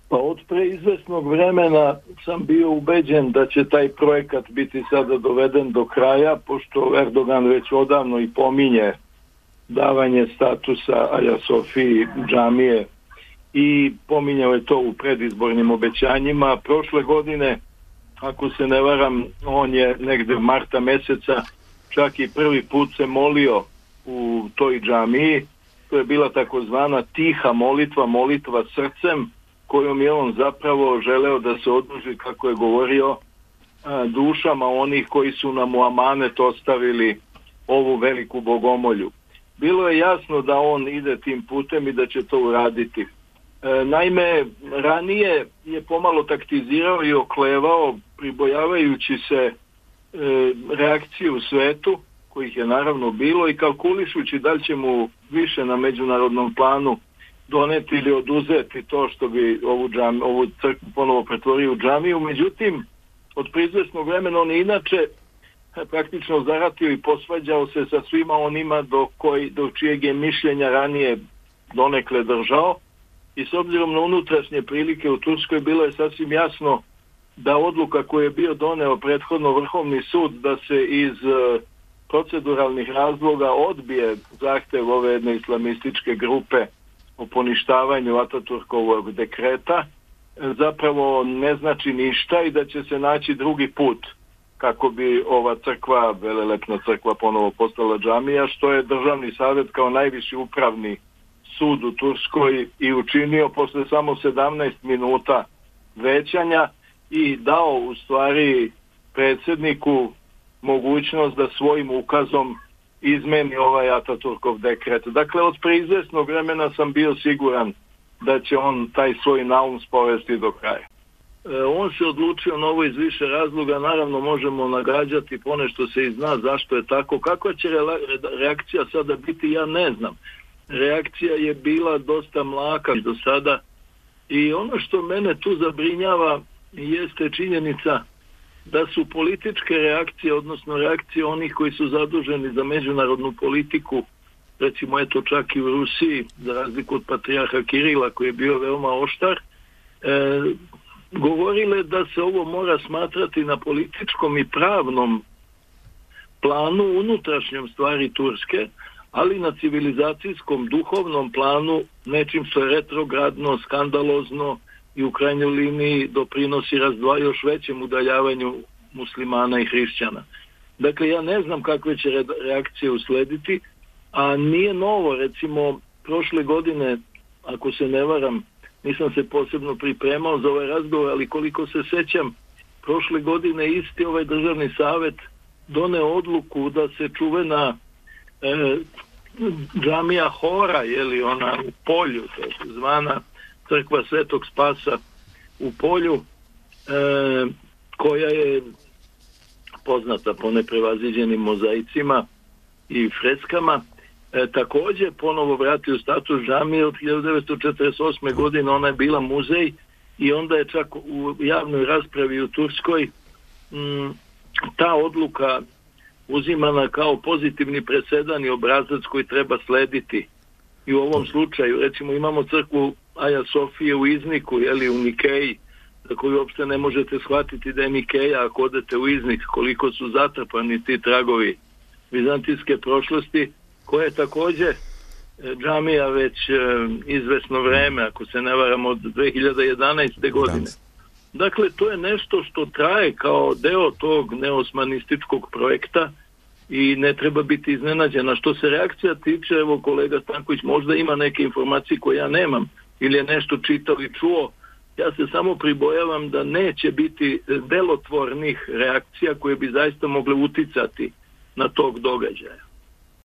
Pa od preizvesnog vremena sam bio ubeđen da će taj projekat biti sada doveden do kraja, pošto Erdogan već odavno i pominje davanje statusa Aja Sofiji džamije i pominjao je to u predizbornim obećanjima. Prošle godine, ako se ne varam, on je negde marta meseca čak i prvi put se molio u toj džamiji. To je bila takozvana tiha molitva, molitva srcem, kojom je on zapravo želeo da se oduži, kako je govorio, dušama onih koji su nam u amanet ostavili ovu veliku bogomolju. Bilo je jasno da on ide tim putem i da će to uraditi. Naime, ranije je pomalo taktizirao i oklevao, pribojavajući se reakcije u svetu, kojih je naravno bilo, i kalkulišući da li će mu više na međunarodnom planu doneti ili oduzeti to što bi ovu crkvu ponovo pretvorio u džamiju. Međutim, od izvesnog vremena on je inače praktično zaratio i posvađao se sa svima onima do čijeg je mišljenja ranije donekle držao, i s obzirom na unutrašnje prilike u Turskoj bilo je sasvim jasno da odluka koju je bio doneo prethodno Vrhovni sud da se iz proceduralnih razloga odbije zahtev ove jedne islamističke grupe o poništavanju Ataturkovog dekreta zapravo ne znači ništa i da će se naći drugi put kako bi ova crkva, velelepna crkva, ponovo postala džamija, što je Državni savjet kao najviši upravni sud u Turskoj i učinio posle samo 17 minuta većanja i dao u stvari predsjedniku mogućnost da svojim ukazom izmeni ovaj Ataturkov dekret. Dakle, od preizvesnog vremena sam bio siguran da će on taj svoj naum sprovesti do kraja. On se odlučio na ovo iz više razloga, naravno možemo nagađati, ponešto se i zna zašto je tako. Kakva će reakcija sada biti, ja ne znam. Reakcija je bila dosta mlaka do sada i ono što mene tu zabrinjava jeste činjenica da su političke reakcije, odnosno reakcije onih koji su zaduženi za međunarodnu politiku, recimo eto čak i u Rusiji, za razliku od patrijarha Kirila koji je bio veoma oštar, govorile da se ovo mora smatrati na političkom i pravnom planu, unutrašnjom stvari Turske, ali na civilizacijskom, duhovnom planu nečim što je retrogradno, skandalozno i u krajnjoj liniji doprinosi još većem udaljavanju muslimana i hrišćana. Dakle, ja ne znam kakve će reakcije uslediti, a nije novo, recimo, prošle godine, ako se ne varam, nisam se posebno pripremao za ovaj razgovor, ali koliko se sećam, prošle godine isti ovaj Državni savjet doneo odluku da se čuvena džamija Hora, jeli ona u Polju, zvana crkva Svetog Spasa u Polju, koja je poznata po neprevaziđenim mozaicima i freskama, također ponovo vratio status džamije. Od 1948. godine ona je bila muzej i onda je čak u javnoj raspravi u Turskoj ta odluka uzimana kao pozitivni presedan i obrazac koji treba slediti. I u ovom slučaju, recimo, imamo crkvu Aja Sofije u Izniku, jeli, u Nikeji, za koju uopšte ne možete shvatiti da je Nikeja ako odete u Iznik, koliko su zatrpani ti tragovi vizantijske prošlosti, koja je također džamija već izvesno vreme, ako se ne varam, od 2011. godine. Dakle, to je nešto što traje kao deo tog neosmanističkog projekta i ne treba biti iznenađena. Što se reakcija tiče, evo kolega Stanković možda ima neke informacije koje ja nemam ili je nešto čitao i čuo, ja se samo pribojavam da neće biti delotvornih reakcija koje bi zaista mogle uticati na tog događaja.